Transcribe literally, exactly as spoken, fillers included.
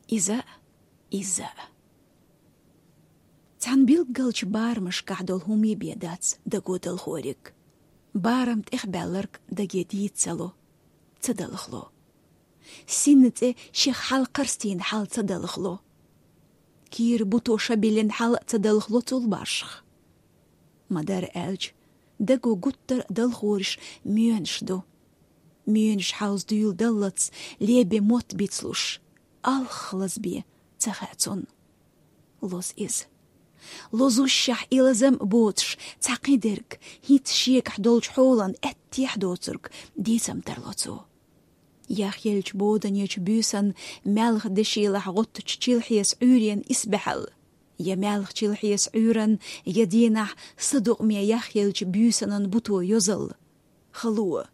Иза, иза. Цхьан билггалча барамашкахь долу хӀума бен дац даго далхориг. Барам тӀехбаьлларг даге дийца ца ло, ца далхало. Синна цӀе шех хьалкхарстийна хьал ца далхало. Кийра буто ша биллина хьал ца далхало цул башха. Ма-дарра аьлча, даго гуттар а далхораш моьнаш ду. Моьнаш хьовза дуьйладаллалц лебе мотт бицлуш, алхха лазабе ца хаьа цунна. Лоза иза. Лозушшехь и лазам а боцуш, цхьа кхидерг, хӀинца шегахь долчу хьолан аьттехьа доцург дийцам тарло цо. Яхъеллачу боданечу буьйсан маьлхан дешилахь гӀоттучу чилхьесан Ӏуьйренан исбаьхьалла, я маьлхан чилхьесан Ӏуьйранна, я дийнахь садукъаме яхъеллачу буьйсанан буто йозалла. Хало,